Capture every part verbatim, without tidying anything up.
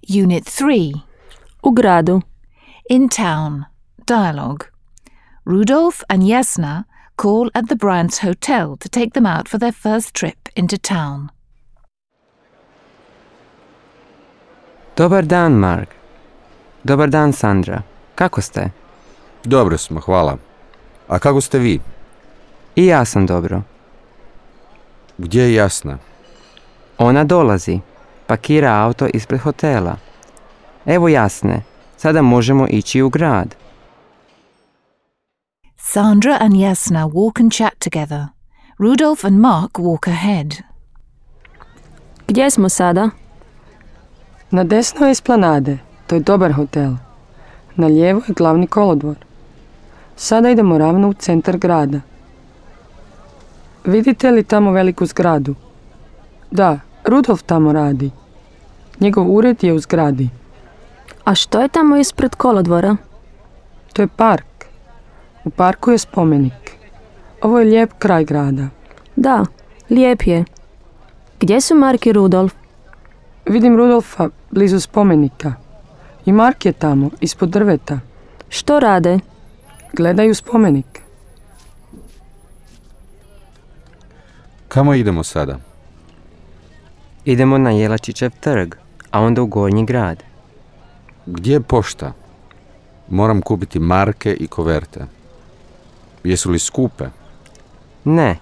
Unit three. U gradu. In town. Dialogue. Rudolf and Jasna call at the Bryants Hotel to take them out for their first trip into town. Dobar dan, Mark. Dobar dan, Sandra. Kako ste? Dobro smo, hvala. A kako ste vi? I ja sam dobro. Gdje je Jasna? Ona dolazi. Pakira auto ispred hotela. Evo Jasne. Sada možemo ići u grad. Sandra and Jasna walk and chat together. Rudolf and Mark walk ahead. Gdje smo sada? Na desno je Esplanade. To je dobar hotel. Na lijevo je glavni kolodvor. Sada idemo ravno u centar grada. Vidite li tamo veliku zgradu? Da, Rudolf tamo radi. Njegov ured je u zgradi. A što je tamo ispred kolodvora? To je park. U parku je spomenik. Ovo je lijep kraj grada. Da, lijep je. Gdje su Mark i Rudolf? Vidim Rudolfa blizu spomenika. I Mark je tamo, ispod drveta. Što rade? Gledaju spomenik. Kamo idemo sada? Idemo na Jelačićev trg, a onda u Gornji grad. Gdje je pošta? Moram kupiti marke i koverte. Jesu li skupe? Ne,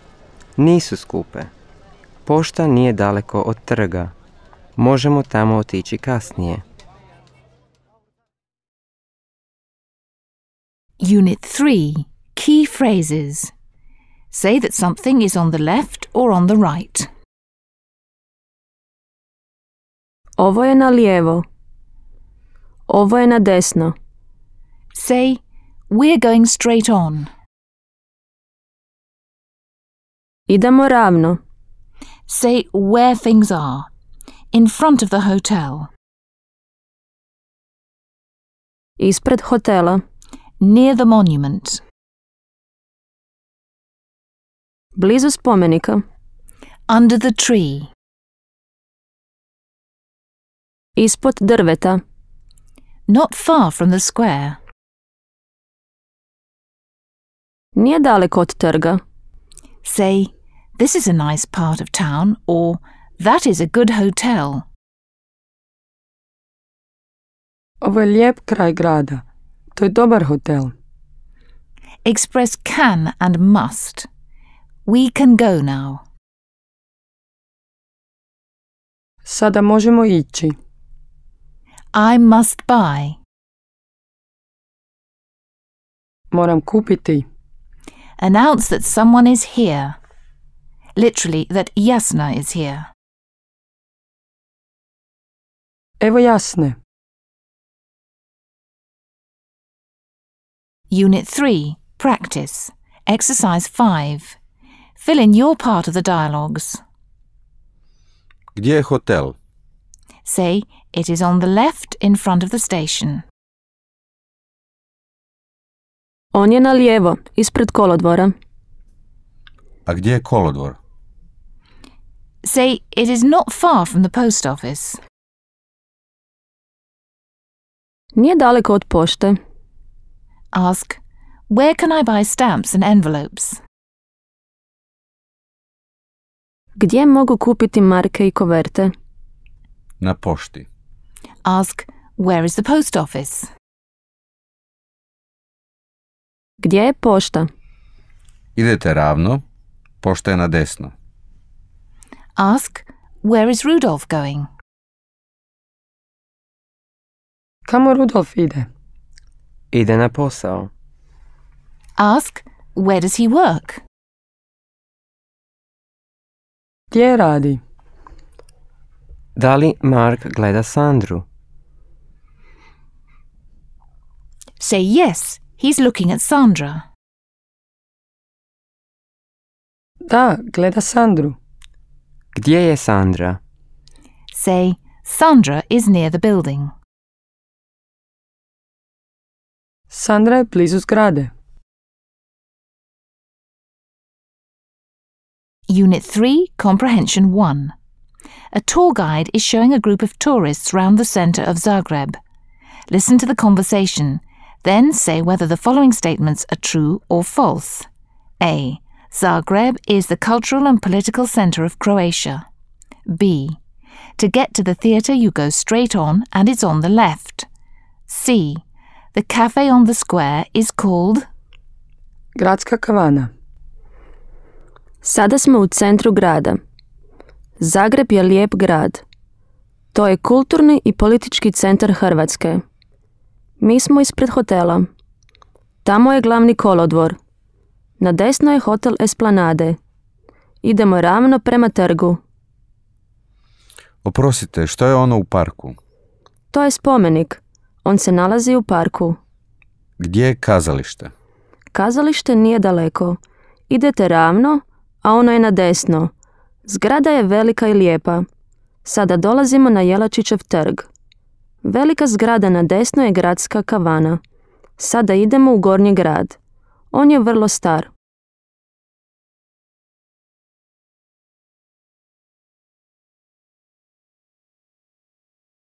nisu skupe. Pošta nije daleko od trga. Možemo tamo otići kasnije. Unit three. Key phrases. Say that something is on the left or on the right. Ovo je na lijevo. Ovo je na desno. Say, we're going straight on. Idemo ravno. Say where things are. In front of the hotel. Ispred hotela. Near the monument. Blizu spomenika. Under the tree. Ispod drveta. Not far from the square. Nije daleko od trga. Say, this is a nice part of town, or that is a good hotel. Ovo je lijep kraj grada. To je dobar hotel. Express can and must. We can go now. Sada možemo ići. I must buy. Moram kupiti. Announce that someone is here. Literally, that Jasna is here. Evo Jasne. Unit three. Practice. Exercise five. Fill in your part of the dialogues. Gdje je hotel? Say, it is on the left in front of the station. On je na lijevo, ispred kolodvora. A gdje je kolodvor? Say, it is not far from the post office. Nije daleko od pošte. Ask, where can I buy stamps and envelopes? Gdje mogu kupiti marke i koverte? Na pošti. Ask, where is the post office? Gdje je pošta? Idete ravno, pošta je na desno. Ask, where is Rudolf going? Kamo Rudolf ide? Ide na posao. Ask, where does he work? Gdje radi? Da li Mark gleda Sandru? Say yes, he's looking at Sandra. Da, gleda Sandru. Gdje je Sandra? Say, Sandra is near the building. Sandra je blizu zgrade. Unit three, Comprehension one. A tour guide is showing a group of tourists round the centre of Zagreb. Listen to the conversation, then say whether the following statements are true or false. A. Zagreb is the cultural and political centre of Croatia. B. To get to the theatre you go straight on and it's on the left. C. The cafe on the square is called... Gradska kavana. Sada smo u centru grada. Zagreb je lijep grad. To je kulturni i politički centar Hrvatske. Mi smo ispred hotela. Tamo je glavni kolodvor. Na desno je hotel Esplanade. Idemo ravno prema trgu. Oprostite, što je ono u parku? To je spomenik. On se nalazi u parku. Gdje je kazalište? Kazalište nije daleko. Idete ravno, a ono je na desno. Zgrada je velika i lijepa. Sada dolazimo na Jelačićev trg. Velika zgrada na desno je gradska kavana. Sada idemo u Gornji grad. On je vrlo star.